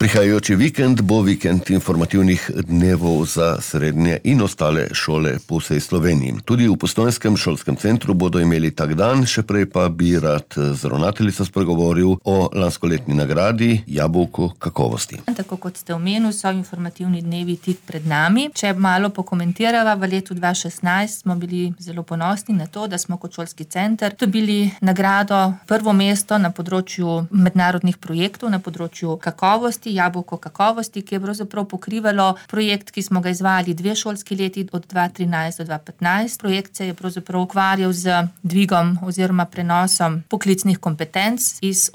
Prihajajoči vikend bo vikend informativnih dnevov za srednje in ostale šole po vsej Sloveniji. Tudi v Postojnskem šolskem centru bodo imeli tak dan, še prej pa bi rad z ravnateljico spregovoril o lanskoletni nagradi Jabolko kakovosti. Tako kot ste omenili, so informativni dnevi tik pred nami. Če malo pokomentirava, v letu 2016 smo bili zelo ponosni na to, da smo kot šolski center dobili nagrado prvo mesto na področju mednarodnih projektov, na področju kakovosti, Jabolko kakovosti, ki je pravzaprav pokrivalo projekt, ki smo ga izvajali 2 šolski leti od 2013 do 2015. Projekt se je pravzaprav ukvarjal z dvigom oziroma prenosom poklicnih kompetenc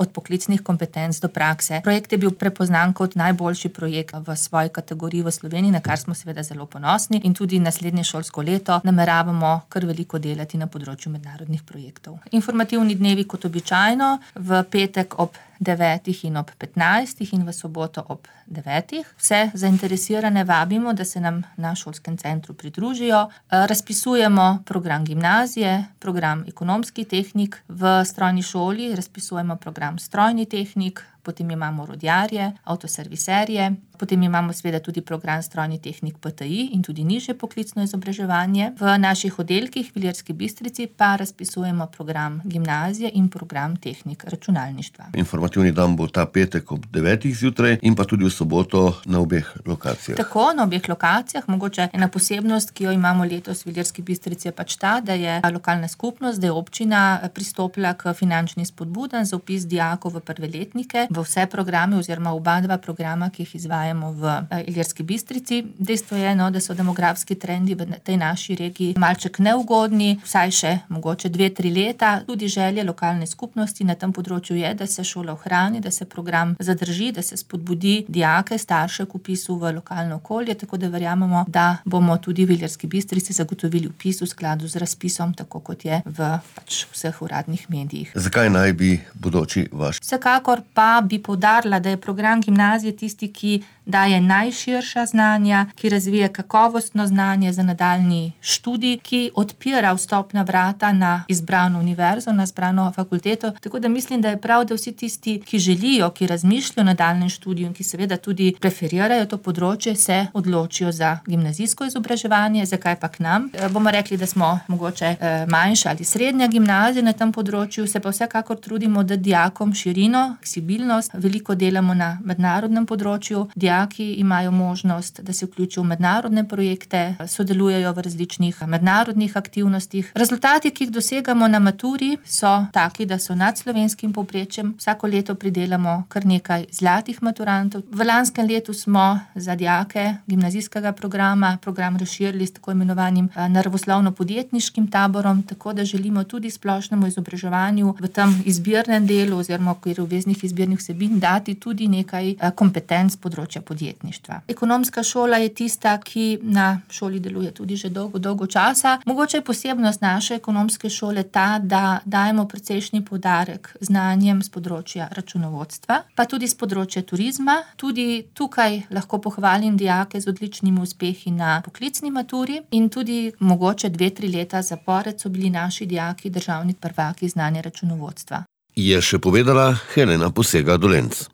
od poklicnih kompetenc do prakse. Projekt je bil prepoznan kot najboljši projekt v svoji kategoriji v Sloveniji, na kar smo seveda zelo ponosni, in tudi naslednje šolsko leto nameravamo kar veliko delati na področju mednarodnih projektov. Informativni dnevi kot običajno v petek ob 9 in ob 15 in v soboto ob 9. Vse zainteresirane vabimo, da se nam na šolskem centru pridružijo. Razpisujemo program gimnazije, program ekonomski tehnik, v strojni šoli razpisujemo program strojni tehnik, potem imamo rodjarje, avtoserviserje, potem imamo seveda tudi program strojni tehnik PTI in tudi nižje poklicno izobraževanje. V naših oddelkih v Ilirski Bistrici pa razpisujemo program gimnazije in program tehnik računalništva. Informativni dan bo ta petek ob 9. zjutraj in pa tudi v soboto na obeh lokacijah. Tako, na obeh lokacijah. Mogoče ena posebnost, ki jo imamo letos v Ilirski Bistrici, je pač ta, da je lokalna skupnost, da je občina pristopila k finančni spodbudam za vpis dijakov v prve letnike, v vse programe oziroma oba dva programa, ki jih izvajamo v Ilirski Bistrici. Dejstvo je, da so demografski trendi v tej naši regiji malček neugodni, vsaj še mogoče 2-3 leta. Tudi želje lokalne skupnosti na tem področju je, da se šola ohrani, da se program zadrži, da se spodbudi dijake, starše k vpisu v lokalno okolje, tako da verjamemo, da bomo tudi v Ilirski Bistrici zagotovili vpis v skladu z razpisom, tako kot je v vseh uradnih medijih. Zakaj naj bi bodoči vaš? Vsekakor pa bi poudarila, da je program gimnazije tisti, ki daje najširša znanja, ki razvije kakovostno znanje za nadaljnji študij, ki odpira vstopna vrata na izbrano univerzo, na izbrano fakulteto. Tako da mislim, da je prav, da vsi tisti, ki želijo, ki razmišljajo o nadaljnjem študiju in ki seveda tudi preferirajo to področje, se odločijo za gimnazijsko izobraževanje. Zakaj pa k nam? Bomo rekli, da smo mogoče manjša ali srednja gimnazija na tem področju, se pa vsekakor trudimo dati dijakom širino, fleksibilnost. Veliko delamo na mednarodnem področju. Dijaki imajo možnost, da se vključijo v mednarodne projekte, sodelujejo v različnih mednarodnih aktivnostih. Rezultati, ki jih dosegamo na maturi, so taki, da so nad slovenskim povprečjem. Vsako leto pridelamo kar nekaj zlatih maturantov. V lanskem letu smo za dijake gimnazijskega programa program razširili s tako imenovanim naravoslovno-podjetniškim taborom, tako da želimo tudi splošnemu izobraževanju v tem izbirnem delu oziroma v okviru obveznih izbirnih vsebin dati tudi nekaj kompetenc področja podjetništva. Ekonomska šola je tista, ki na šoli deluje tudi že dolgo časa. Mogoče je posebnost naše ekonomske šole ta, da dajemo precejšnji poudarek znanjem z področja računovodstva, pa tudi z področja turizma. Tudi tukaj lahko pohvalim dijake z odličnimi uspehi na poklicni maturi in tudi mogoče 2-3 leta zapored so bili naši dijaki državni prvaki znanja računovodstva. Je še povedala Helena Posega Dolenc.